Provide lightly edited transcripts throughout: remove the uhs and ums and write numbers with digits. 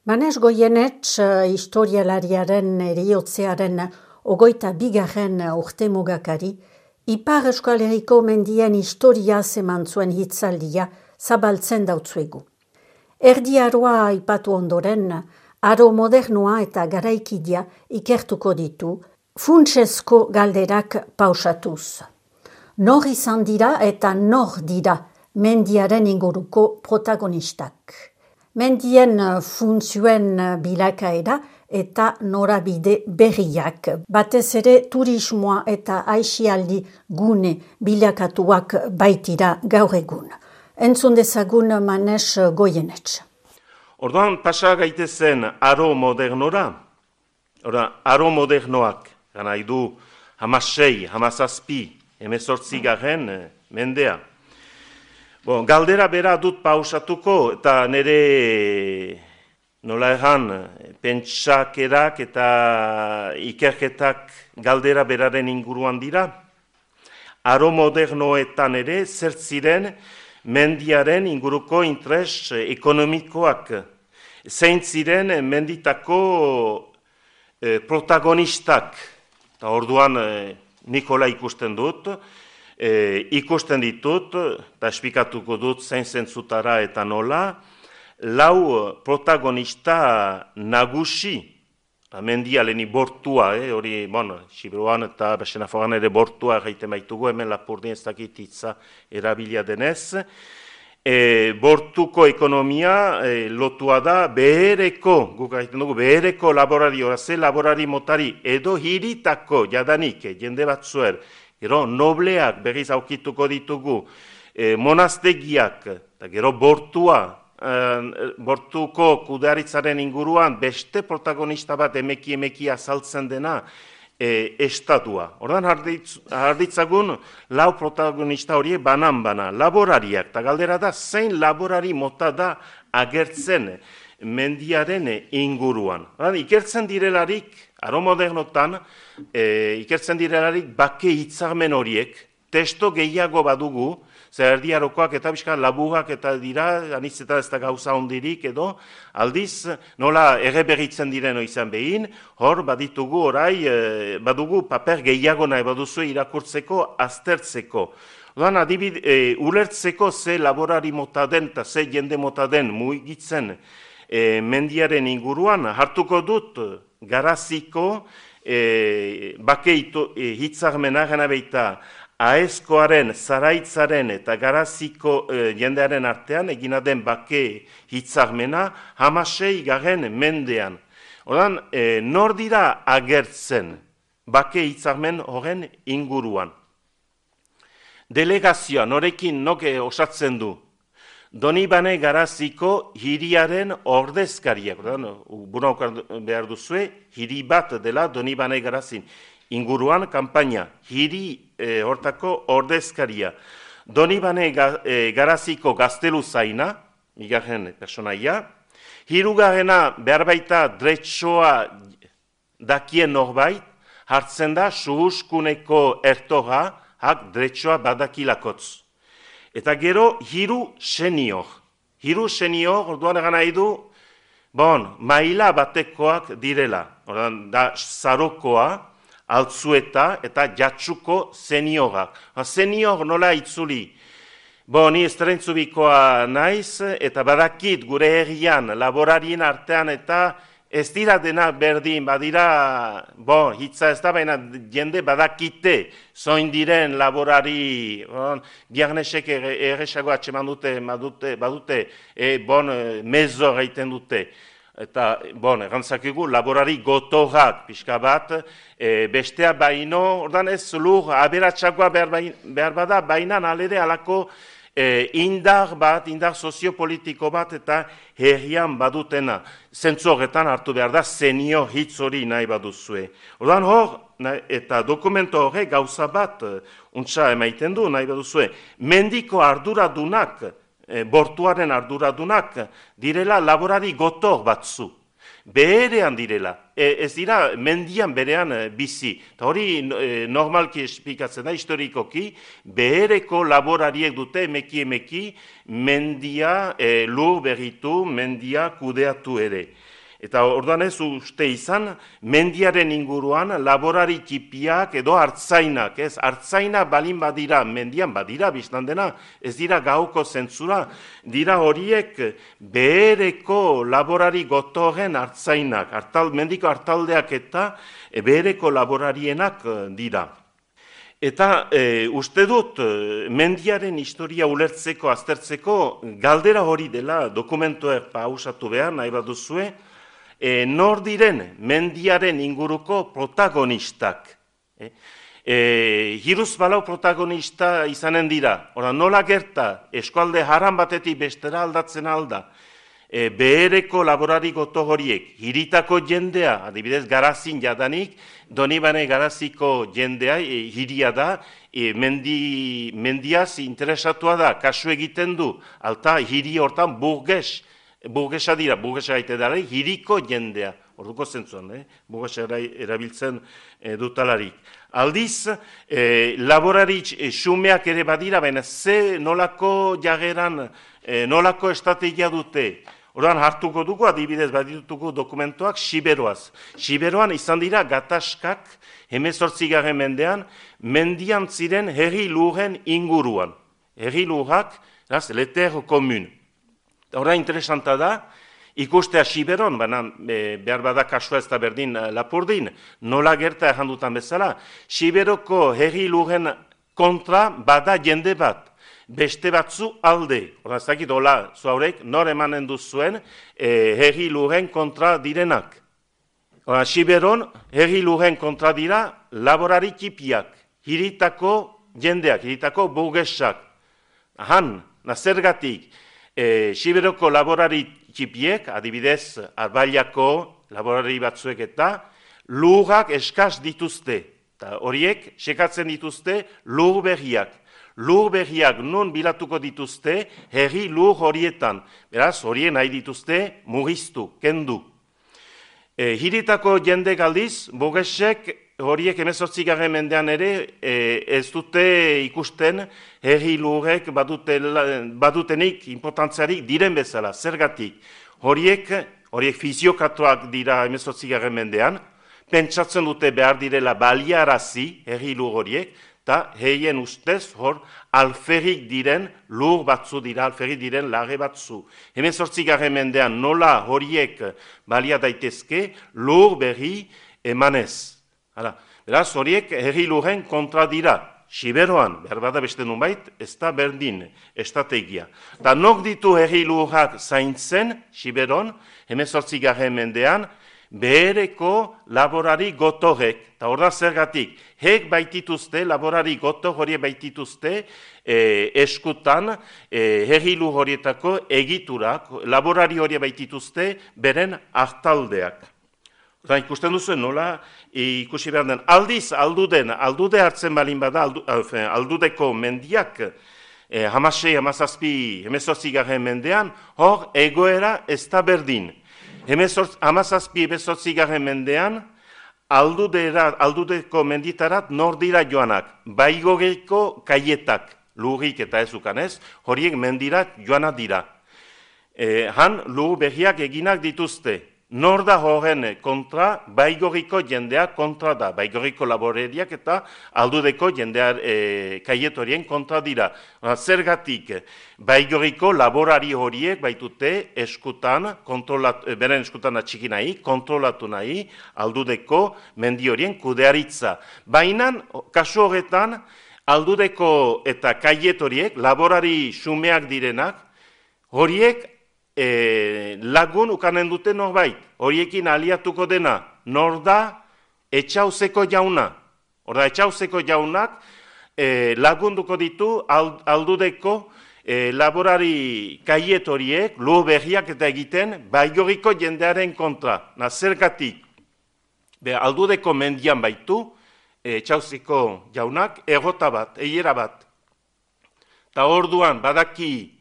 Manes Goienetx historialariaren eriotzearen 22. urtemugakari, Ipar Euskal Herriko mendien historia eman zuen hitzaldia zabaltzen dautzuegu. Erdi Aroa aipatu ondoren, aro modernoa eta garaikidia ikertuko ditu, funtsezko galderak pausatuz. Nor izan dira eta nor dira mendiaren inguruko protagonistak. Mendien funtzioen bilakaera eta norabide berriak, batez ere turismoa eta aisialdi gune bilakatuak baitira gaur egun. Entzun dezagun Manes Goienetx. Orduan pasa gaitezen aro modernora, aro modernoak, gana idu 16, 17, 18 mendea. Galdera bera dut pausatuko eta nire nola erran pentsakerak eta ikerketak galdera beraren inguruan dira. Aro modernoetan ere zertziren mendiaren inguruko interes ekonomikoak. Zein ziren menditako protagonistak. Eta orduan Nikola ikusten dut. Ikusten ditut, eta esplikatuko dut zein zentzutara eta nola, lau protagonista nagusi, mendia leheni bortua, hori, Siberuan eta Baxenaforan ere bortua gaiten baitugu, hemen Lapurdin ez dakit hitza erabilia denez, bortuko ekonomia lotua da behereko, guk gaiten dugu, behereko laborari, ze laborari motari, edo hiritako jadanik, jende batzuer, gero nobleak berriz aukituko ditugu, monastegiak, eta gero bortuko kudearitzaren inguruan beste protagonista bat emeki azaltzen dena estatua. Ordan harditzagun lau protagonista horiek banan, laborariak, eta galdera da zein laborari mota da agertzen mendiaren inguruan. Ikertzen direlarik, aro modernotan, ikertzen direlarik bake hitzarmen horiek, testo gehiago badugu, zer Erdi Arokoak eta bizka laburak eta dira, anitz eta ez da gauza hondirik edo, aldiz nola erreberritzen diren izan behin, hor baditugu orai, badugu paper gehiago nahi baduzu irakurtzeko, aztertzeko. Odan ulertzeko ze laborari mota den eta ze jende mota den mugitzen mendiaren inguruan, hartuko dut Garaziko bake hitzarmena gana beita Aezkoaren, Zaraitzaren eta Garaziko jendearen artean egina den bake hitzarmena 16. mendean. Odan, nor dira agertzen bake hitzarmen horren inguruan. Delegazioa, norekin noke osatzen du. Donibane Garaziko hiriaren ordezkariak. Bunaukar behar duzue, hiri bat dela Donibane Garazin. Inguruan, kanpaina, hiri hortako ordezkaria. Donibane Garaziko gaztelu zaina, igarren personaia. Hirugarrena behar baita dretsoa dakien norbait, hartzen da suhuskuneko ertoga, hak dretsoa badakilakotz. Eta gero, hiru senior. Hiru senior, orduan egan nahi du, maila batekoak direla. Orduan, da zarokoa, altzueta eta jatsuko seniorak. Senior nola itzuli. Ni estreintzubikoa naiz, eta badakit gure herrian, laborarien artean eta ez dira dena berdin, badira, hitza ez da, baina jende badakite, zoin diren laborari, biarnesek erresago atxeman badute, mezo gaiten dute. Eta, errantzakigu, laborari gotorrak pixka bat, bestea baino, ordan ez lur, aberatxagoa behar bada, baina alere alako indar soziopolitiko bat eta herrian badutena. Zentzu horretan hartu behar da, senior hitz hori nahi baduzue. Ordan hor, eta dokumento horre gauza bat, untsa emaiten du nahi baduzue, mendiko arduradunak, bortuaren arduradunak, direla laborari gotor batzu. beherean direla, ez dira mendian berean bizi. Eta hori normalki esplikatzen da, historikoki, behereko laborariek dute emeki mendia lur berritu, mendia kudeatu ere. Eta orduan ez uste izan, mendiaren inguruan laborari txipiak edo hartzainak, ez? Hartzaina balin badira, mendian badira, biztan dena, ez dira gauko zentzura, dira horiek behereko laborari gotorren hartzainak, mendiko hartaldeak eta behereko laborarienak dira. Eta uste dut, mendiaren historia ulertzeko, aztertzeko, galdera hori dela dokumentuak pausatu behar, nahi bat duzue, nor diren mendiaren inguruko protagonistak. Hiruz balau protagonista izanen dira. Nola gerta, eskualde haran batetik bestera aldatzen alda, behereko laborari goto horiek, hiritako jendea, adibidez Garazin jadanik, Donibane Garaziko jendea, hiria da, mendiaz interesatua da, kasu egiten du, alta hiri hortan burgesa dira, burgesa gaite dara, hiriko jendea, orduko zentzuan, burgesa erabiltzen dutalarik. Aldiz, laborari xumeak ere badira, baina ze nolako jageran, nolako estrategia dute. Orduan hartuko dugu, adibidez badituko dokumentuak, Siberoaz. Siberoan izan dira gatazkak, 18. mendean, mendian ziren herri lurren inguruan. Herri lurrak, le terre commune. Horra interesanta da, ikustea Siberon, baina behar bada kasua ez da berdin Lapurdin, nola gerta errandutan bezala, Siberoko herri lurren kontra bada jende bat, beste batzu alde. Horra ez dakit, hola, zuaurek, nor emanen duzuen herri lurren kontra direnak. Horra, Siberon herri lurren kontra dira laborari txipiak, hiritako jendeak, hiritako burgesak. Han, nazergatik, Siberoko laborari txipiek, adibidez, Arbailako laborari batzuek eta lurrak eskaz dituzte. Horiek, sekatzen dituzte lur berriak. Lur berriak nun bilatuko dituzte, herri lur horietan. Beraz, horien nahi dituzte mugiztu, kendu. Hiritako jende galdiz, burgesek horiek 18. mendean ere ez dute ikusten herri lurrek badutenik importantziarik diren bezala, zergatik. Horiek fiziokatuak dira 18. mendean, pentsatzen dute behar direla baliarazi herri lur horiek, eta heien ustez hor alferrik diren lur batzu dira, alferrik diren lage batzu. 18. mendean nola horiek balia daitezke lur berri emanez. Beraz, horiek herri lurren kontra dira. Siberoan, behar bada beste nunbait, ez da berdin estrategia. Eta nok ditu herri lurrak zaintzen, Siberon, 18. mendean, behereko laborari gotorek. Eta hor da zergatik, hek baitituzte, laborari gotor horiek baitituzte, eskutan, herri lur horietako egiturak, laborari horiek baitituzte, beren hartaldeak. Ikusten duzu, nola ikusi behar den. Aldiz, aldude hartzen balin bada, aldudeko mendiak, 18. mendean, hor egoera ez da berdin. 18. mendean, aldudeko menditarat nor dira joanak, baigogeko kaietak, lurrik eta ezukanez, horiek mendirat joanak dira. Han, lur berriak eginak dituzte. Nor da horren kontra, baigoriko jendea kontra da, baigoriko laboreriak eta aldudeko jendea kaietorien kontra dira. Zergatik, baigoriko laborari horiek baitute eskutan, beren eskutan atxiki nahi, kontrolatu nahi, aldudeko mendi horien kudearitza. Baina, kasu horretan, aldudeko eta kaietoriek, laborari xumeak direnak, horiek, lagun ukanen dute norbait, horiekin aliatuko dena, nor da etxauzeko jauna. Horda, etxauzeko jaunak lagunduko ditu aldudeko laborari kaiet horiek, lur berriak eta egiten, baigoriko jendearen kontra. Zergatik, aldudeko mendian baitu, etxauzeko jaunak, errota bat, eiera bat. Eta orduan, badaki,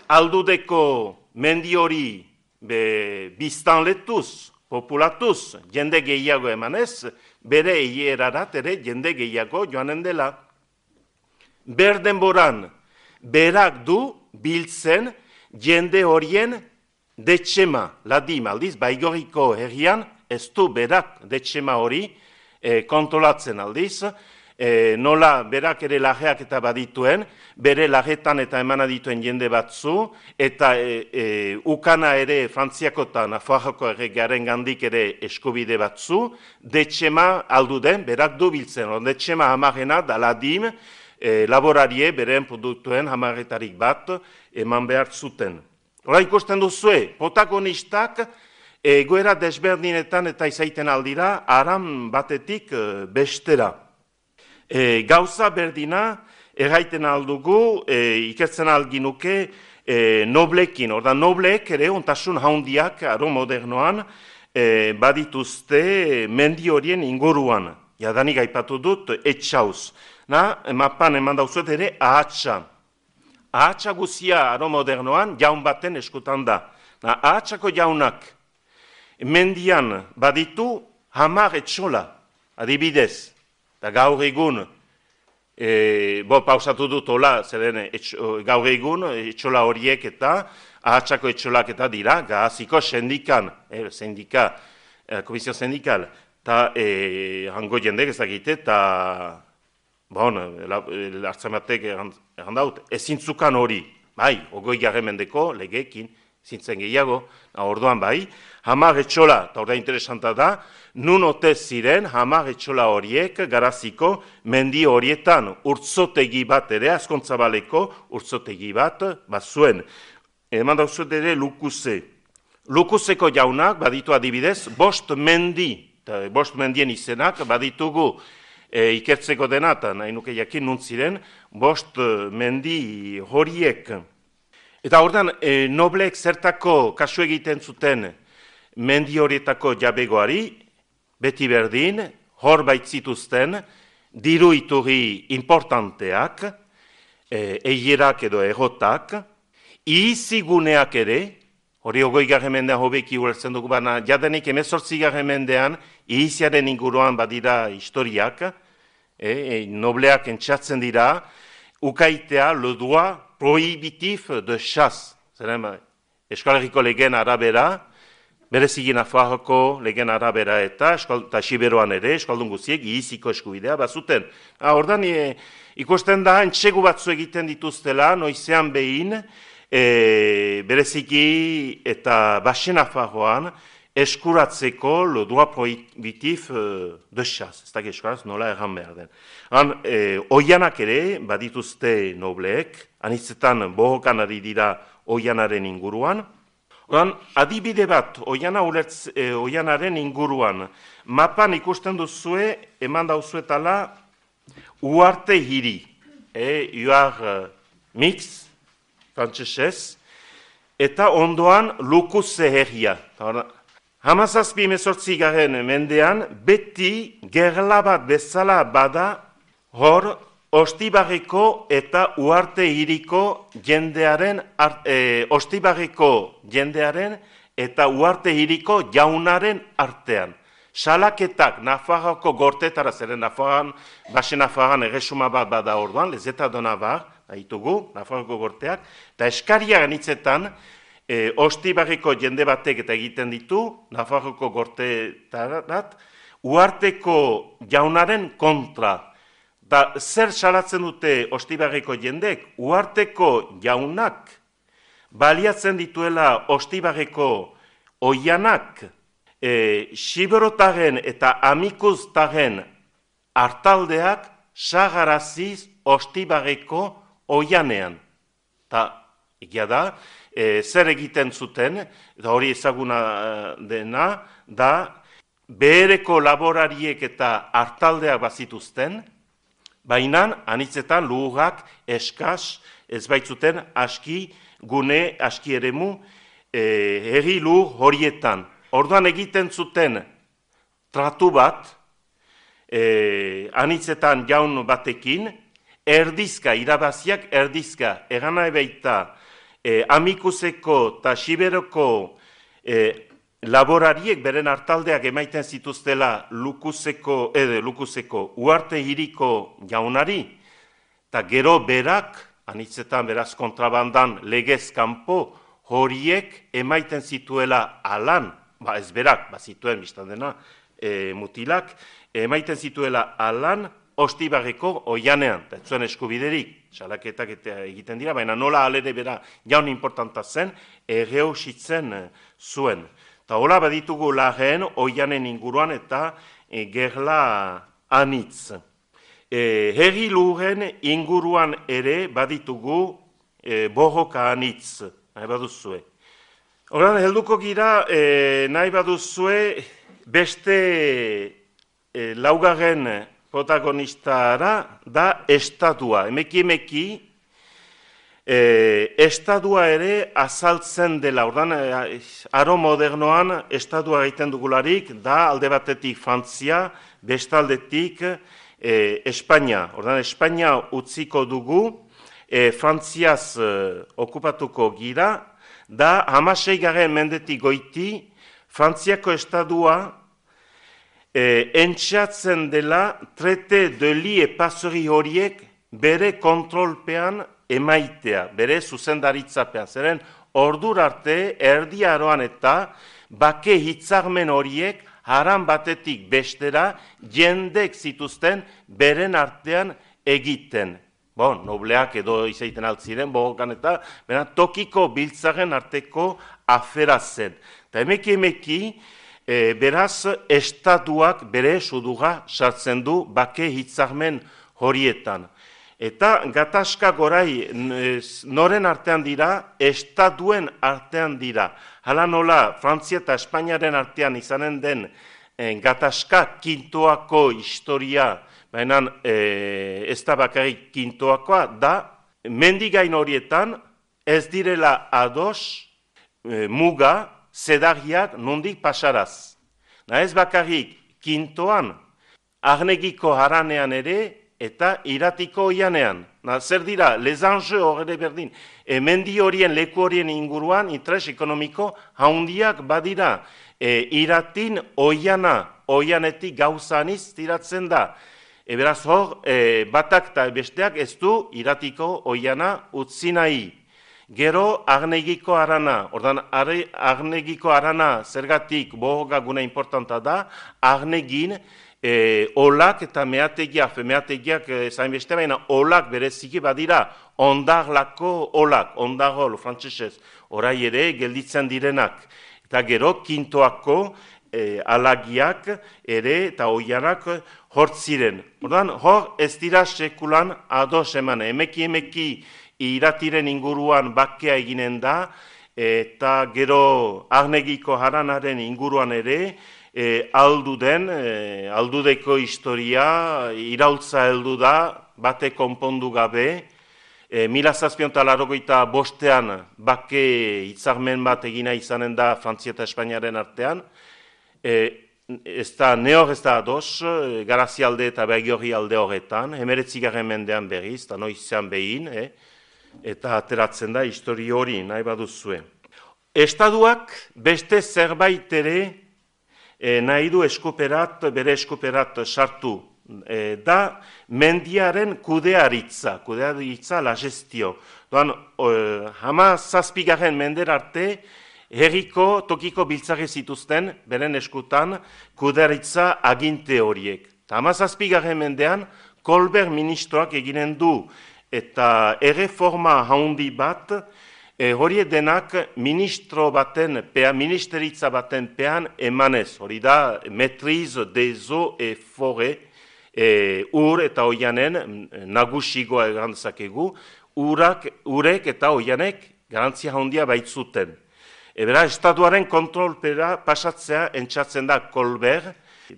aldudeko mendi hori biztanletuz, populatuz, jende gehiago emanez, bere hierarat ere jende gehiago joanen dela. Berdenboran, berak du biltzen jende horien detxema, ladim aldiz, Baigorriko herrian, ez du berak detxema hori kontrolatzen aldiz, nola berak ere lajeak eta badituen, bere lajetan eta emana dituen jende batzu, eta ukana ere Frantziako eta Nafarroko erregearen gandik ere eskubide batzu, detxema aldu den, berak du biltzen, detxema hamarena da ladim, laborarie beren produktuen hamarretarik bat eman behar zuten. Hora ikusten duzue, protagonistak egoera desberdinetan eta izaiten aldira, aram batetik bestera. Gauza berdina, erraiten aldugu, ikertzen alginuke noblekin. Orda nobleek ere ontasun haundiak aro modernoan badituzte mendi horien inguruan. Jadanik aipatu dut etxauz. Mapan eman dauzuet ere ahatsa. Ahatsa guzia aro modernoan jaun baten eskutan da. Ahatsako jaunak mendian baditu 10 etxola, adibidez. Eta gaur egun, pausatu dut hola, zeren gaur egun etxola horiek eta ahatsako etxolak eta dira, gaziko sendikan, komisio sendikal, eta hango jendek ezagite, eta hartzen batek errandaut, ezintzukan hori, bai, 20. mendeko legeekin, zintzen gehiago, orduan bai, 10 etxola, eta orda interesanta da, nun ote ziren 10 etxola horiek garaziko mendi horietan urtzotegi bat ere, Azkontzabaleko urtzotegi bat zuen. Eman dauzuet ere Lukuze. Lukuzeko jaunak baditu adibidez, 5 mendi, 5 mendien izenak baditugu ikertzeko dena, eta nahi nuke jakin nuntziren, 5 mendi horiek. Eta ordan nobleek zertako kasu egiten zuten mendi horietako jabegoari, beti berdin, hor baitzituzten, diru iturri importanteak, eierak edo egotak, ihiziguneak ere, hori 20. mendean hobeki ulertzen dugu, baina jadenik 18. mendean ihiziaren inguruan badira historiak, nobleak entxatzen dira, ukaitea le droit prohibitif de chasse, zeren Euskal Herriko legeen arabera, bereziki Nafarroko legeen arabera eta Siberuan ere, eskaldun guztiek, ihiziko eskubidea bazuten. Ordan ikusten da, entsegu batzu egiten dituztela, noizean behin, bereziki eta Baxe Nafarroan, eskuratzeko le droit prohibitif de chasse, ez da eskaraz nola erran behar den. Oianak ere badituzte nobleek, anitzetan bohokan ari dira oianaren inguruan. Adibide bat, oianaren inguruan, mapan ikusten duzue, eman dauzuetala, Uarte hiri, Uar mix, frantsesez, eta ondoan Lukuze herria. 17. mendean, beti gerla bat bezala bada, hor, Ostibarreko eta Uarte hiriko jendearen, Ostibarreko jendearen eta Uarte hiriko jaunaren artean. Salaketak Nafarroko gortetara, zeren Nafarran, Baxe Nafarran erresuma bat bada orduan, lezeta dona bar, ditugu, Nafarroko gorteak, eta eskariaren hitzetan, Ostibarriko jende batek eta egiten ditu, Nafarroko gortetarat, Uarteko jaunaren kontra. Da, zer salatzen dute Ostibarriko jendek, Uarteko jaunak baliatzen dituela Ostibarreko oianak, Siberotaren eta Amikuztaren hartaldeak sagaraziz Ostibarreko oianean. Ta, egia da, zer egiten zuten, eta hori ezaguna dena, da, behereko laborariek eta hartaldeak bazituzten, baina anitzetan lurrak eskas ez baitzuten aski gune, aski eremu herri lur horietan. Orduan egiten zuten tratu bat, anitzetan jaun batekin, erdizka, irabaziak erdizka, egan nahi baita Amikuzeko eta Siberoko laborariek beren hartaldeak emaiten zituztela Lukuzeko Uarte hiriko jaunari, eta gero berak, anitzetan beraz kontrabandan legez kanpo, horiek emaiten zituela alan, ez berak, zituen biztan dena, mutilak, emaiten zituela alan Ostibarreko oianean, eta zuen eskubiderik, salaketak egiten dira, baina nola alere bera jaun importanta zen, erreusitzen zuen. Eta hola baditugu lageen oianen inguruan eta gerla anitz. Herri lurren inguruan ere baditugu borroka anitz, nahi baduzue. Horan, helduko gira, nahi baduzue beste laugarren protagonistara da estatua. Emeki, estatua ere azaltzen dela. Ordan, aro modernoan estatua egiten dugularik da alde batetik Frantzia, bestaldetik Espainia. Ordan, Espainia utziko dugu, Frantziaz okupatuko gira, da 16. mendetik goiti Frantziako estatua entxatzen dela traite de lie pasori horiek bere kontrolpean emaitea, bere zuzendaritzapean. Zeren ordur arte erdi aroan eta bake hitzarmen horiek haran batetik bestera jendek zituzten beren artean egiten. Nobleak edo izaiten altziren, bogokan eta tokiko biltzaren arteko afera zen. Eta emeki, beraz, estatuak bere suduga sartzen du bake hitzarmen horietan. Eta gatazka gorai noren artean dira, estatuen artean dira. Hala nola, Frantzia eta Espainiaren artean izanen den gatazka kintoako historia, baina ez da bakarrik kintoakoa, da mendigain horietan ez direla ados muga, zedarriak nondik pasaraz. Ez bakarrik kintoan, arnegiko haranean ere, eta iratiko oianean. Zer dira, lezange horre berdin. Mendi horien, leku horien inguruan, interes ekonomiko haundiak badira. Iratin oianetik gauzaniz tiratzen da. Beraz hor, batak eta besteak ez du iratiko oiana utzi nahi. Gero, arnegiko arana. Ordan, arnegiko arana zergatik bohoga guna importanta da, arnegin olak eta meategiak zain beste baina olak bereziki badira, ondarlako olak, ondarol, frantzesez, orai ere gelditzen direnak. Eta gero, kintoako alagiak ere eta oianak hortziren. Ordan, hor ez dira sekulan ados eman, emeki iratiren inguruan bakea eginen da, eta gero arnegiko haranaren inguruan ere, aldudeko historia, iraultza heldu da, bate konpondu gabe, 1785 bake hitzarmen bat egina izanen da Frantzia eta Espainiaren artean, ez da ados, Garazialde eta Bergiorri alde horretan, 19. mendean berriz, eta noizean behin, eta ateratzen da historia hori nahi baduzue. Estatuak beste zerbait ere nahi du bere eskuperat sartu, da mendiaren kudearitza la gestio. Doan, 17. mender arte, herriko tokiko biltzare zituzten, beren eskutan, kudearitza aginte horiek. 17. mendean, Kolber ministroak eginen du, eta erreforma haundi bat, hori denak ministeritza baten pean emanez. Hori da, maîtrise des eaux et forêts, ur eta oianen nagusigoa erantzakegu, urek eta oianek garantzia haundia baitzuten. Ebera, estatuaren kontrolpera pasatzea entzatzen da Kolber,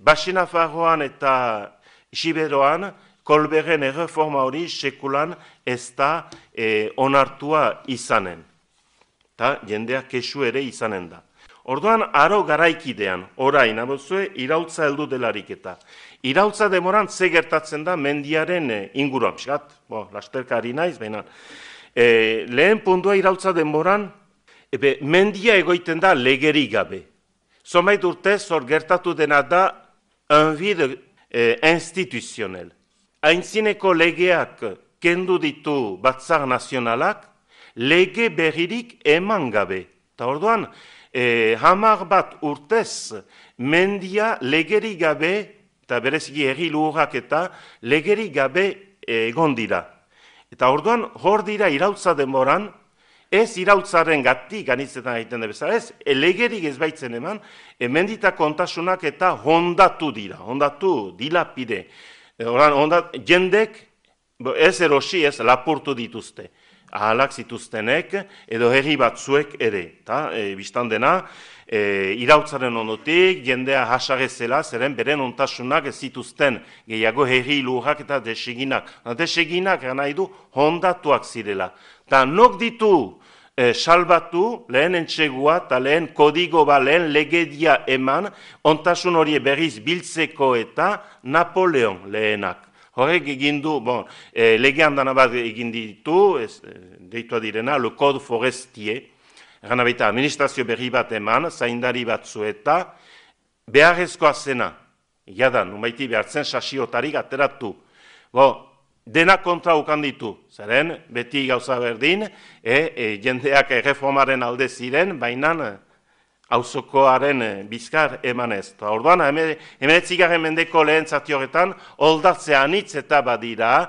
Baxinafarroan eta Siberoan, Kolberren erreforma hori sekulan ez da onartua izanen. Eta jendeak kesu ere izanen da. Orduan, aro garaikidean, orain, abozue, iraultza heldu delarik eta. Iraultza demoran ze gertatzen da mendiaren inguruan. Piskat, lasterka ari naiz, baina. Lehen puntua iraultza demoran, mendia egoiten da legeri gabe. Zonbait urtez, hor gertatu dena da un vide instituzionel. Aintzineko legeak kendu ditu Batzar Nazionalak, lege berririk eman gabe. Eta orduan, 10 bat urtez, mendia legeri gabe, eta bereziki herri lurrak eta legeri gabe egon dira. Eta orduan, hor dira irautza denboran, ez irautzaren gatik anitzetan egiten da bezala, ez legerik ez baitzen eman, mendita kontasunak eta hondatu dira, hondatu dilapide. Jendek ez erosi ez lapurtu dituzte, ahalak zituztenek edo herri batzuek ere. Bistan dena, irautzaren ondotik, jendea hasarezela, zeren beren ontasunak ez zituzten gehiago herri lurrak eta deseginak. Deseginak nahi du hondatuak zirela. Eta nok ditu salbatu, lehen entxegua eta lehen kodigo lehen legedia eman, ontasun hori berriz biltzeko eta Napoleon lehenak. Horrek egin du, lege handan bat egin ditu, deitua direna, le code forestier, gana baita administrazio berri bat eman, zaindari batzu eta beharrezkoa zena, jadan, numaiti behartzen sasiotarik ateratu. Dena kontra ukan ditu, zeren beti gauza berdin, jendeak reformaren alde ziren, baina auzokoaren bizkar emanez. Orduan, 19. mendeko lehen zati horretan, oldatzea anitz eta badira,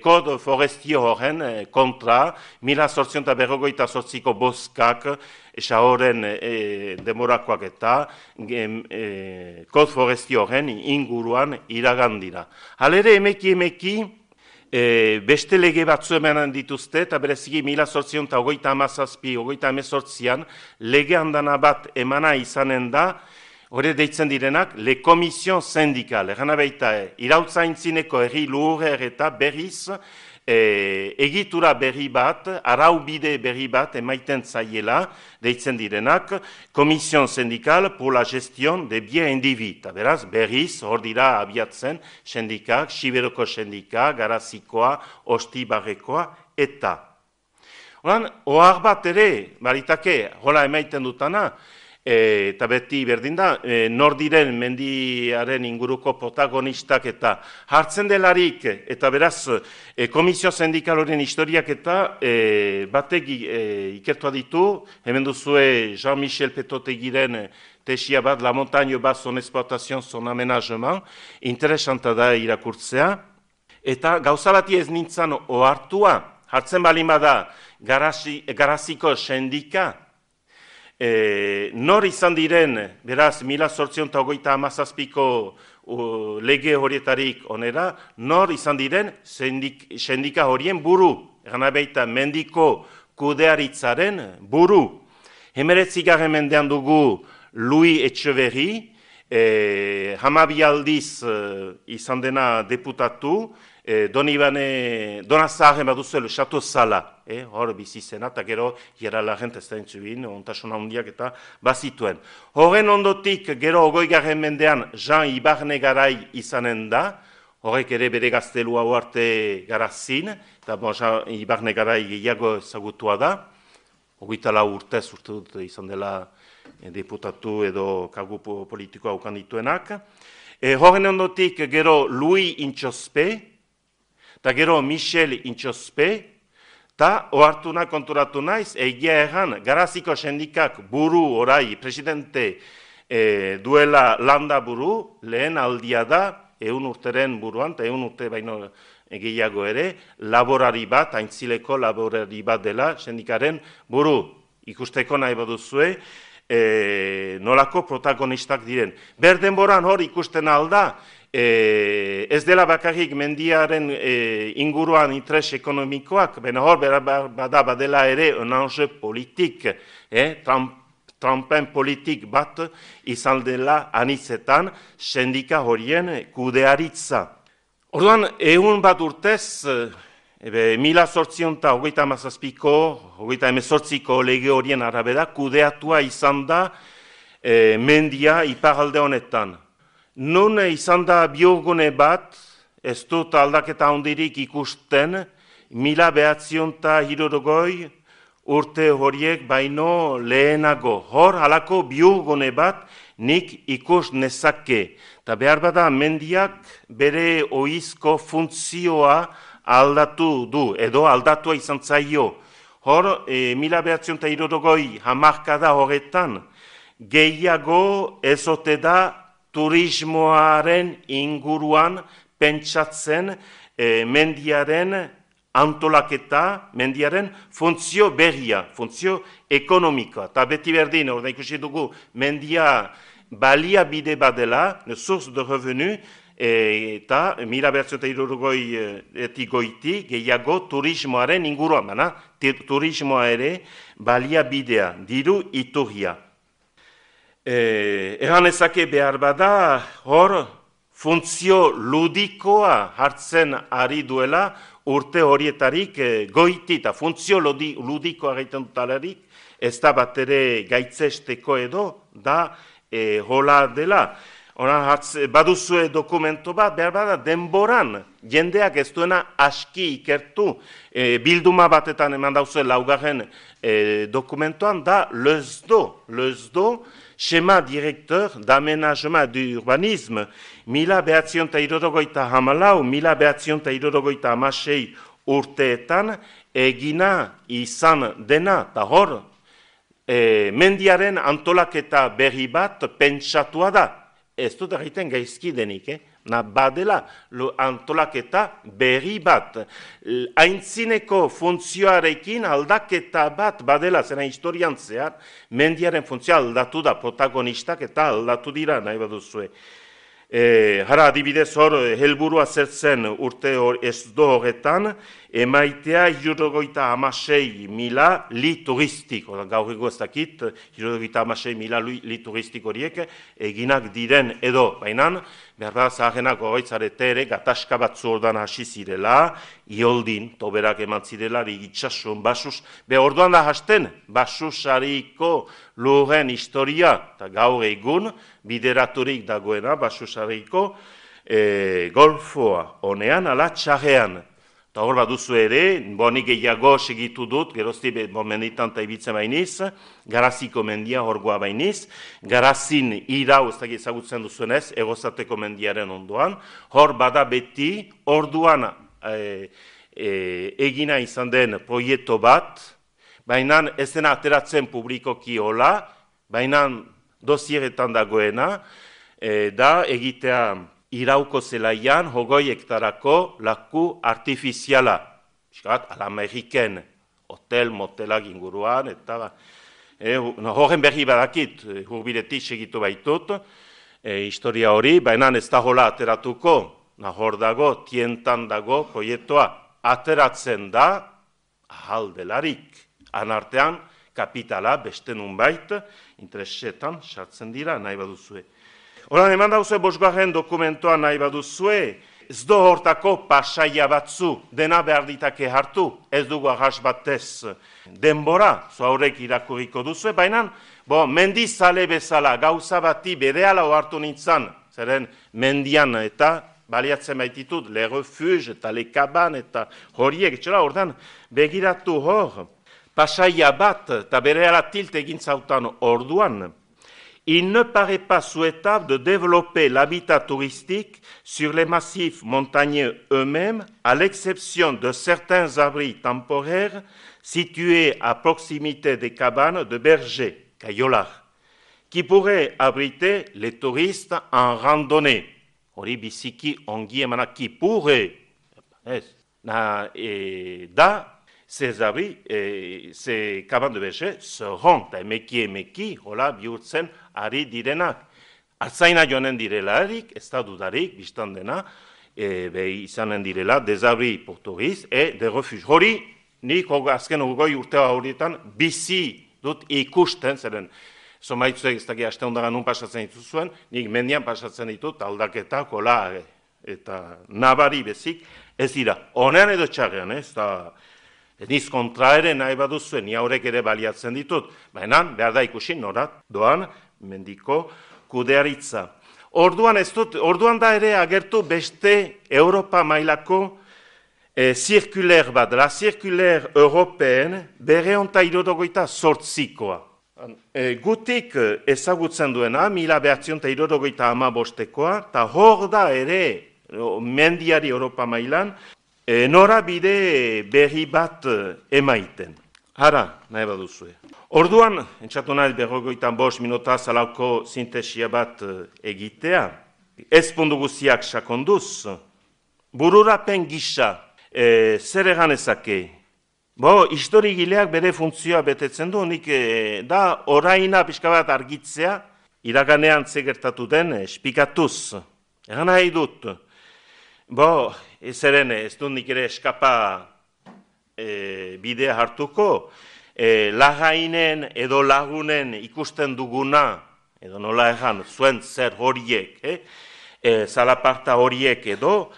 kod forestio horren kontra, 1858ko boskak, esa horren demorakoak eta, kod forestio horren inguruan iragandira. Halere emeki, beste lege batzu emanen dituzte, eta bereziki 1857-1818an lege handana bat emana izanen da, hori deitzen direnak, le komision sindikal, erana baita, irautza intzineko herri lurrer eta berriz, egitura berri bat, araubide berri bat emaiten zaiela, deitzen direnak, komision sindikal pour la gestion de bien individu. Beraz, berriz, hor dira abiatzen, sindikak, Siberoko sindika, Garazikoa, Ostibarrekoa, eta. Ohar bat ere, baritake, hola emaiten dutana, eta beti berdin da, nor diren mendiaren inguruko protagonistak eta hartzen delarik, eta beraz, komisio sindikal horien historiak eta batek ikertua ditu, hemen duzue Jean-Michel Petotegiren tesia bat, La montagne bat son exploitation, son aménagement, interesanta da irakurtzea, eta gauza bati ez nintzen ohartua, hartzen balin bada Garaziko sindika, nor izan diren, beraz, 1857ko lege horietarik onera, nor izan diren sindika horien buru, gana baita mendiko kudearitzaren buru. 19. mendean dugu Louis Etxeverri, 12 aldiz izan dena deputatu, Dona Zaharren baduzu Chateau Sala, hor bizizena, eta gero jera lagent ez da entzubin, ontasuna hundiak eta bazituen. Horren ondotik, gero 20. mendean Jean Ibarne Garai izanen da, horrek ere bere gaztelua arte Garazin, eta Jean Ibarne Garai gehiago ezagutua da, 24 urtez urte dut izan dela deputatu edo kargu politikoa ukan dituenak. Horren ondotik, gero Louis Intxospe, eta gero Michel Intxospe, eta ohartuna konturatu naiz, egia erran, Garaziko sindikak buru orai, presidente duela landa buru, lehen aldia da, 100 urteren buruan, eta 100 urte baino gehiago ere, laborari bat, aintzileko laborari bat dela, sindikaren buru, ikusteko nahi baduzue, nolako protagonistak diren. Berdenboran hor ikusten alda, ez dela bakarrik mendiaren inguruan interes ekonomikoak, baina hor badela ere un enjeu politik, trampen politik bat izan dela anitzetan sindika horien kudearitza. Orduan, 100 bat urtez, 1857ko lege horien arabera kudeatua izan da mendia iparalde honetan. Nun izan da biogune bat, ez dut aldaketa handirik ikusten, 1960 urte horiek baino lehenago. Hor, halako biurgune bat nik ikus nezake. Ta behar bada mendiak bere ohizko funtzioa aldatu du, edo aldatua izan zaio. Hor, 1960 hamarkada horretan, gehiago ezote da turismoaren inguruan pentsatzen mendiaren antolaketa, mendiaren funtzio berria, funtzio ekonomikoa. Eta beti berdin, orda ikusi dugu, mendia baliabide badela, source de revenu, eta 1960 goiti gehiago turismoaren inguruan, turismoa ere baliabidea, diru iturria. Egan ezake behar bada, hor funtzio ludikoa hartzen ari duela urte horietarik goiti, eta funtzio ludikoa gaiten dutalarik, ez da bat ere gaitzesteko edo, da hola dela. Baduzue dokumento bat, behar bada, denboran, jendeak ez duena aski ikertu, bilduma batetan eman dauzue laugarren dokumentoan, da LESDO, Schéma Directeur d'Aménagement d'Urbanisme, 1964-1966 urteetan egina izan dena, eta hor, mendiaren antolaketa berri bat pentsatua da. Ez dut egiten gaizki denik, badela antolaketa berri bat. Aintzineko funtzioarekin aldaketa bat badela, zena historian zehar, mendiaren funtzioa aldatu da, protagonistak eta aldatu dira, nahi baduzue. Hara adibidez hor, helburua zertzen urte ez do horretan, emaitea 76.000 li turistik, gaur ego ez dakit, 76.000 li turistik horiek eginak diren edo, bainan, behar da zaharenak horretzarete ere, gataska batzu ordan hasi zirela, ioldin, toberak eman zirela, rigitsasun, basus, orduan da hasten, basusariko lurren historia, eta gaur egun, bideraturik dagoena, basusariko golfoa, honean, ala txarrean. Eta hor bat duzu ere, nik gehiago segitu dut, gerozti menditan eta ibitzen bainiz, Garaziko mendia horgoa bainiz, Garazin irau, ez da ezagutzen duzuenez, egozateko mendiaren ondoan, hor bada beti, orduan egina izan den proiektu bat, baina ez dena ateratzen publikoki hola, baina dosieretan dagoena, da egitea irauko zelaian, hogoi hektarako laku artifiziala. Al-Ameriken, hotel, motelak inguruan, eta horren berri badakit, hurbiletik segitu baitut, historia hori, baina ez da hola ateratuko, hor dago, tientan dago, proiektua ateratzen da, ahaldelarik, anartean, kapitala, beste nunbait, interesetan, sartzen dira, nahi baduzue. Horan, eman dauzue bosgarren dokumentoa nahi baduzue, ez do hortako pasaia batzu, dena behar ditake hartu, ez dugu ahas batez denbora, zoaurek irakurriko duzue, baina, mendizale bezala, gauza bati berehala hartu nintzen, zeren mendian eta baliatzen baititut, le refuge eta le kaban eta horiek, etxera, ordan, begiratu hor, pasaia bat eta berehala tilt egin zautan orduan, il ne paraît pas souhaitable de développer l'habitat touristique sur les massifs montagneux eux-mêmes, à l'exception de certains abris temporaires situés à proximité des cabanes de bergers, Kayolar, qui pourraient abriter les touristes en randonnée. Hori biziki ongi emana qui pourrait, ces abris, ces cabanes de bergers seront, emeki, hola bihurtzen ari direnak. Altzaina joanen direlarik, ez da dudarik, biztan dena, izanen direla, des abris pour touristes et des refuges. Hori, nik azken urgoi urtea horietan bizi dut ikusten, zeren, somaitzuek ez daki aste ondagan nun pasatzen dituzuen, nik mendian pasatzen ditut aldaketa, kola, eta nabari bezik, ez dira. Honean edo txarrean, ez da, niz kontra ere nahi baduzuen, ni haurek ere baliatzen ditut, baina behar da ikusi norat doan mendiko kudearitza. Orduan da ere agertu beste Europa mailako zirkuler bat, la zirkuler europeen bere onta 1968koa. Gutik ezagutzen duena, 1965koa, eta hor da ere, mendiari Europa mailan, norabide berri bat emaiten. Hara, nahi baduzue. Orduan, entzatu nahi 55 minuta zalauko sintesia bat egitea, ez puntu guziak sakonduz, bururapen gisa, zer egan ezake? Historigileak bere funtzioa betetzen du, nik da oraina pixka bat argitzea, iraganean zegertatu den espikatuz. Egan nahi dut. Ez dut nik ere eskapa bidea hartuko, lagainen edo lagunen ikusten duguna, edo nola egan, zuen zer horiek, zalaparta horiek edo,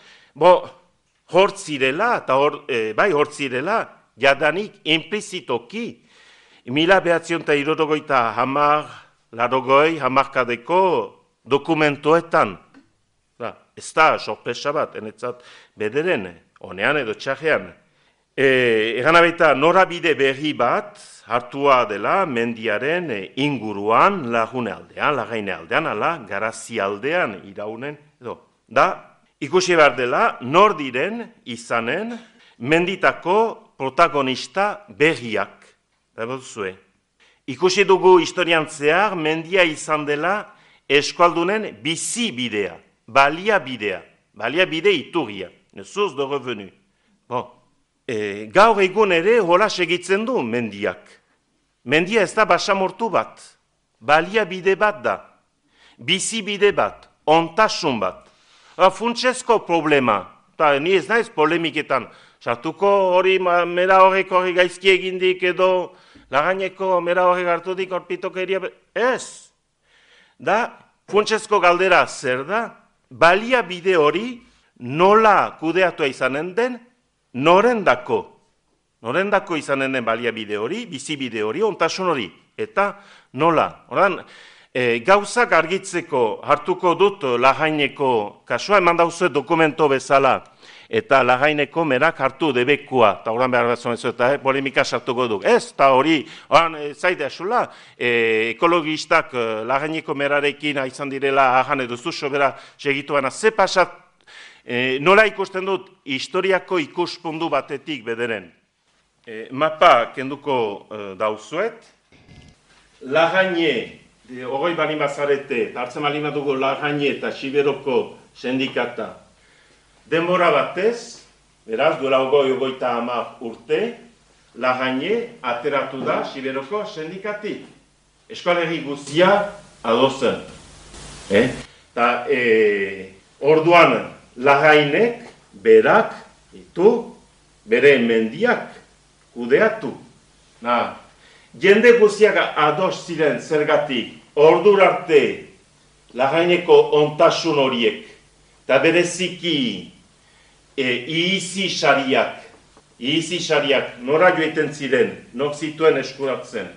hortzirela, eta hortzirela, jadanik implizitoki, 1960 dokumentoetan, ez da, sorpresa bat, enetzat bederen, honean edo txarrean. Egan abeita, norabide berri bat, hartua dela mendiaren inguruan, lagune aldean, lagaine aldean, ala, garazi aldean, iraunen, edo. Da, ikusi behar dela, nor diren izanen, menditako protagonista berriak. Ikusi dugu historian zehar, mendia izan dela eskualdunen bizi bidea, balia bide iturria, nezuz de revenu. Gaur egun ere hola segitzen du mendiak. Mendia ez da basamortu bat, balia bide bat da, bizi bide bat, ontasun bat. Funtsezko problema, eta ni ez naiz polemiketan, sartuko hori mera horrek hori gaizki egindik edo lagaineko mera horrek hartudik horpitokeria, ez. Da, funtsezko galdera zer da, balia bide hori nola kudeatua izanen den, norendako izanen den balia bide hori, bizi bide hori, ontasun hori, eta nola. Horan, gauzak argitzeko hartuko dut lagaineko kasua, eman dauzue dokumento bezala, eta lagaineko merak hartu debekua, eta horan behar bat zonezu, eta polemika sartuko duk. Ez, eta hori, zaite asula, ekologistak lagaineko merarekin izan direla ahan edo zuzo bera segituana, ze pasat, nola ikusten dut historiako ikuspundu batetik bederen. Mapa kenduko dauzuet, lagaine, hogei bali mazarete, hartzen bali dugu lagaine eta Siberoko sindikata. Denbora batez, beraz, duela ogoita 10 urte, lagaine ateratu da Siberoko sindikatik. Eskualegi guztia adozen. Eta orduan lagainek berak ditu, bere mendiak kudeatu. Jende guztiak ados ziren zergatik, ordur arte lagaineko ontasun horiek, eta bereziki ihizi sariak nora joiten ziren, nok zituen eskuratzen,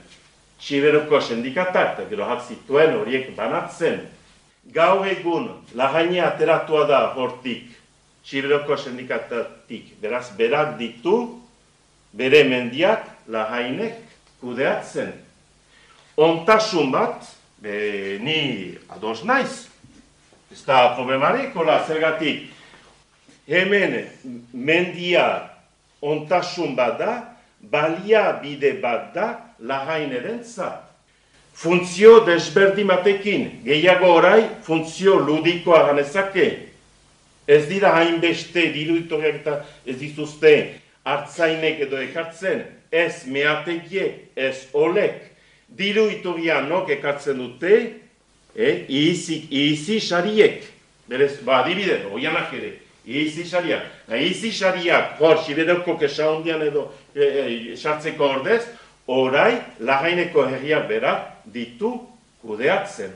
Siberoko sindikatak, eta gero zituen horiek banatzen. Gaur egun lagaine ateratua da hortik, Siberoko sindikatatik, beraz berak ditu, bere mendiak lagainek kudeatzen. Ontasun bat, ni ados naiz, ez da problemarik, zergatik, hemen mendia ontasun bat da, balia bide bat da lagaineren zat. Funtzio desberdin batekin, gehiago orai, funtzio ludikoa ganezake. Ez dira hainbeste diruditoriak eta ez dituzte hartzainek edo ekartzen, ez meategiek, ez olek. Diruitoria nok ekartzen dute, ihizi sariek. Berez, adibide, oianak ere, ihizi sariak. Ihizi sariak, hor, Siberoko kesa hondian edo sartzeko ordez, orai, lagaineko herriak berak ditu kudeatzen.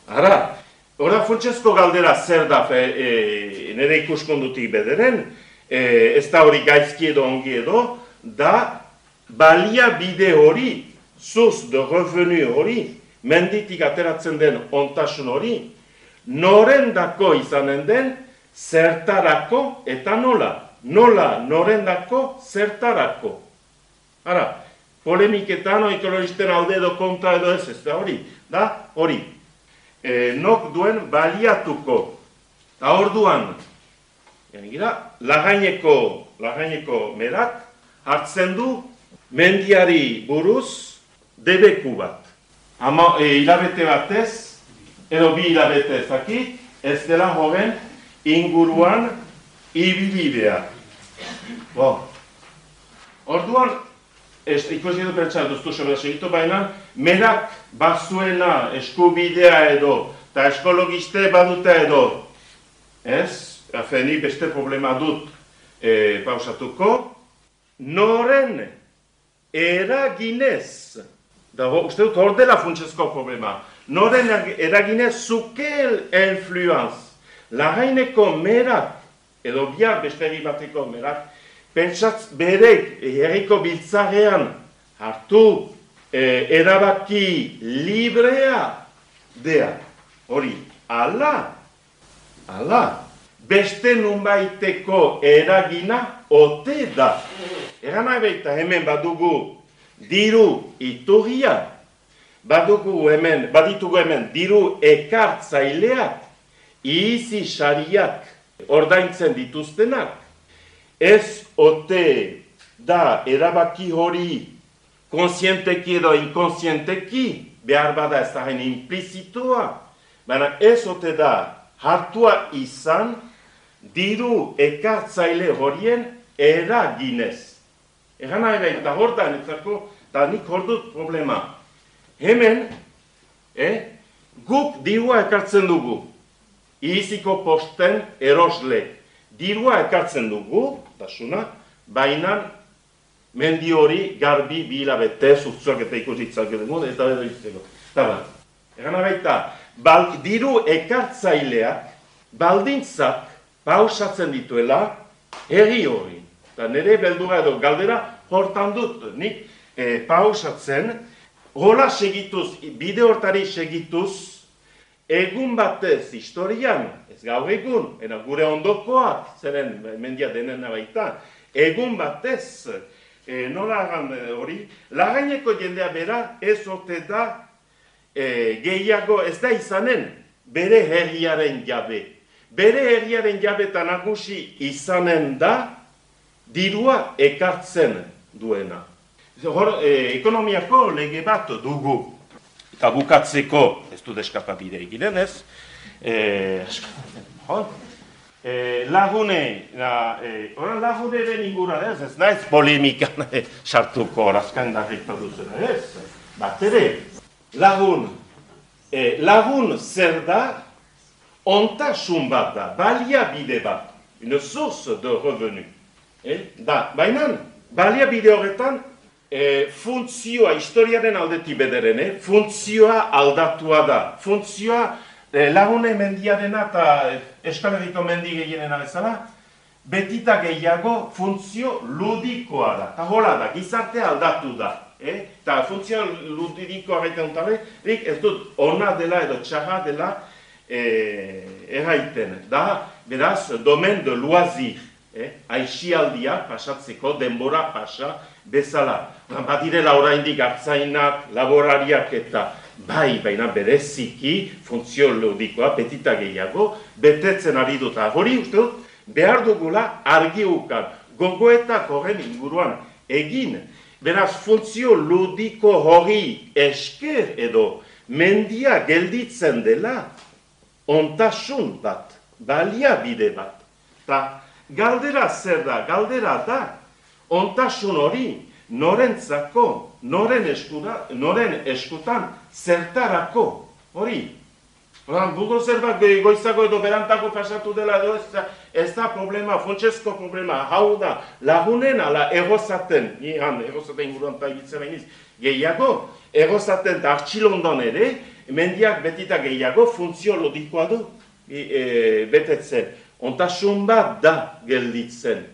Ara, ora funtsezko galdera zer da nire ikuskondutik bederen, ez da hori gaizki edo ongi edo, da balia bide hori, zuz de revenu hori, menditik ateratzen den ontasun hori, norendako izanen den, zertarako eta nola. nola, norendako, zertarako. Ara, polemiketan, ekologisten alde edo kontra edo ez da hori, da hori. Nok duen baliatuko, eta orduan, lagaineko merak hartzen du mendiari buruz debeku bat. Hilabete batez, edo 2 hilabete ezakit, ez dela joven inguruan ibili behar. Orduan, ikusi du pentsa duztu sobera segitu, baina merak bazuena eskubidea edo, eta eskologiste baduta edo, ez? Ni beste problema dut pausatuko, noren eraginez, uste dut hor dela funtsezko problema, noren eraginez zukel influenz, lagaineko merak, edo bihar beste bateko merak, pentsatz berek herriko biltzarean hartu erabaki librea dea. Hori, ala, beste nunbaiteko eragina ote da. Egan nahi baita hemen badugu diru iturria, baditugu hemen diru ekartzaileak, izi sariak ordaintzen dituztenak, ez ote da erabaki hori konsienteki edo inkonsienteki, behar bada ez da hain implizitoa, baina ez ote da hartua izan diru ekartzaile horien eraginez. Egan nahi baita hor da, eta nik hor dut problema. Hemen, guk dirua ekartzen dugu, iziko posten erosle. Dirua ekartzen dugu, baina mendi hori garbi 2 hilabete zuztuak eta ikusitzak edo, eta edo izteko. Egan baita, diru ekartzaileak baldintzak pausatzen dituela herri hori. Eta nire beldura edo galdera hortan dut, nik pausatzen, hola segituz, bide hortari segituz, egun batez historian, ez gaur egun, gure ondokoak, zeren mendia denen baita, egun batez, nola hori, lagaineko jendea bera ez ote da gehiago ez da izanen bere herriaren jabe. Bere herriaren jabe eta nagusi izanen da dirua ekartzen duena. Ekonomiako lege bat dugu. Eta bukatzeko, ez du deskapabide eginen ez, laguneren inguran ez naiz polemikan sartuko orazkan darrikta duzena ez, bat ere, lagun zer da, ontasun bat da, baliabide bat, une source de revenu. Baina, baliabide horretan, funtzioa, historiaren aldetik bederen, funtzioa aldatua da. Funtzioa lagune mendiarena eta Euskal Herriko mendi gehienena bezala, betita gehiago funtzio ludikoa da. Eta hola da, gizartea aldatu da. Eta funtzio ludikoa gaiten dutarik, ez dut ona dela edo txarra dela erraiten. Da, beraz, domen de loisir. Aixialdia pasatzeko, denbora pasa bezala. Badirela oraindik hartzainak, laborariak eta baina bereziki funtzio ludikoa, petita gehiago, betetzen ari dut. Hori uste dut, behar dugula argi ukan, gogoetak horren inguruan egin. Beraz, funtzio ludiko hori esker edo mendia gelditzen dela, ontasun bat, baliabide bat. Ta galdera zer da, galdera da, ontasun hori norentzako, noren eskutan zertarako, hori. Buldozer bat goizago edo berantako pasatu dela edo ez da problema, funtsezko problema, hau da, lagunen ala egozaten, egozaten inguruan eta egitzen behiz, gehiago, egozaten eta artxilondon ere, mendiak betita gehiago funtzio lodikoa du betetzen. Ontasun bat da gelditzen.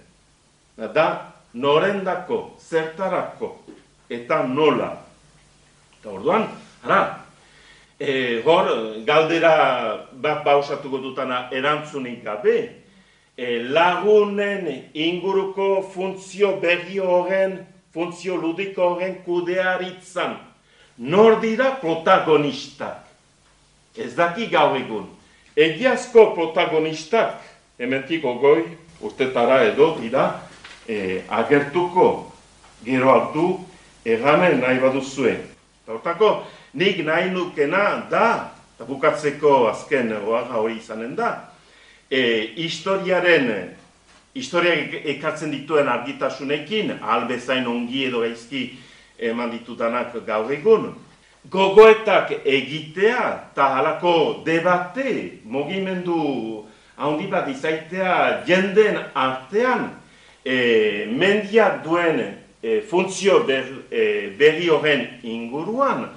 Da norendako, zertarako, eta nola. Eta orduan, hor, galdera bat pausatuko dutana erantzunik gabe, lagunen inguruko funtzio berri horren, funtzio ludiko horren kudearitzan. Nor dira protagonistak? Ez daki gaur egun. Egiazko protagonistak, hementik ogoi, urtetara edo dira, agertuko gero hartu erramen nahi baduzue. Hortako, nik nahi nukena da, eta bukatzeko azken hori izanen da, historiak ekartzen dituen argitasunekin, albezain ongi edo gaizki eman ditudanak gaur egun, gogoetak egitea eta halako debate, mugimendu handi bat izaitea jenden artean, mendiak duen funtzio berri horren inguruan,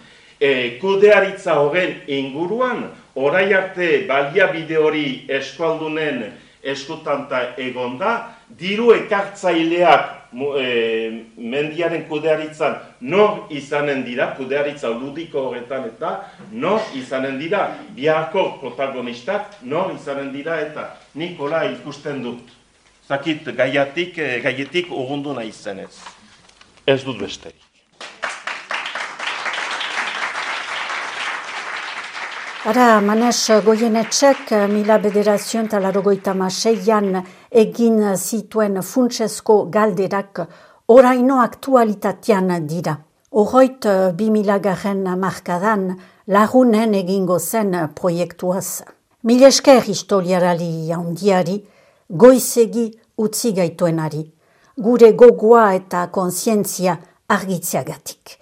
kudearitza horren inguruan, orai arte baliabide hori eskualdunen eskutanta egonda, diru ekartzaileak mendiaren kudearitzan nor izanen dira, kudearitza ludiko horretan eta nor izanen dira, biharko protagonistak nor izanen dira eta nik hola ikusten dut. Zakit gaietik urrundu nahi zenez. Ez dut besterik. Ara, Manes Goienetxek 1996an egin zituen funtsezko galderak oraino aktualitatean dira. Horroit 2000 markadan lagunen egingo zen proiektuaz. Mil esker historiarali handiari, goizegi utzi gaituenari, gure gogoa eta kontzientzia argitzeagatik.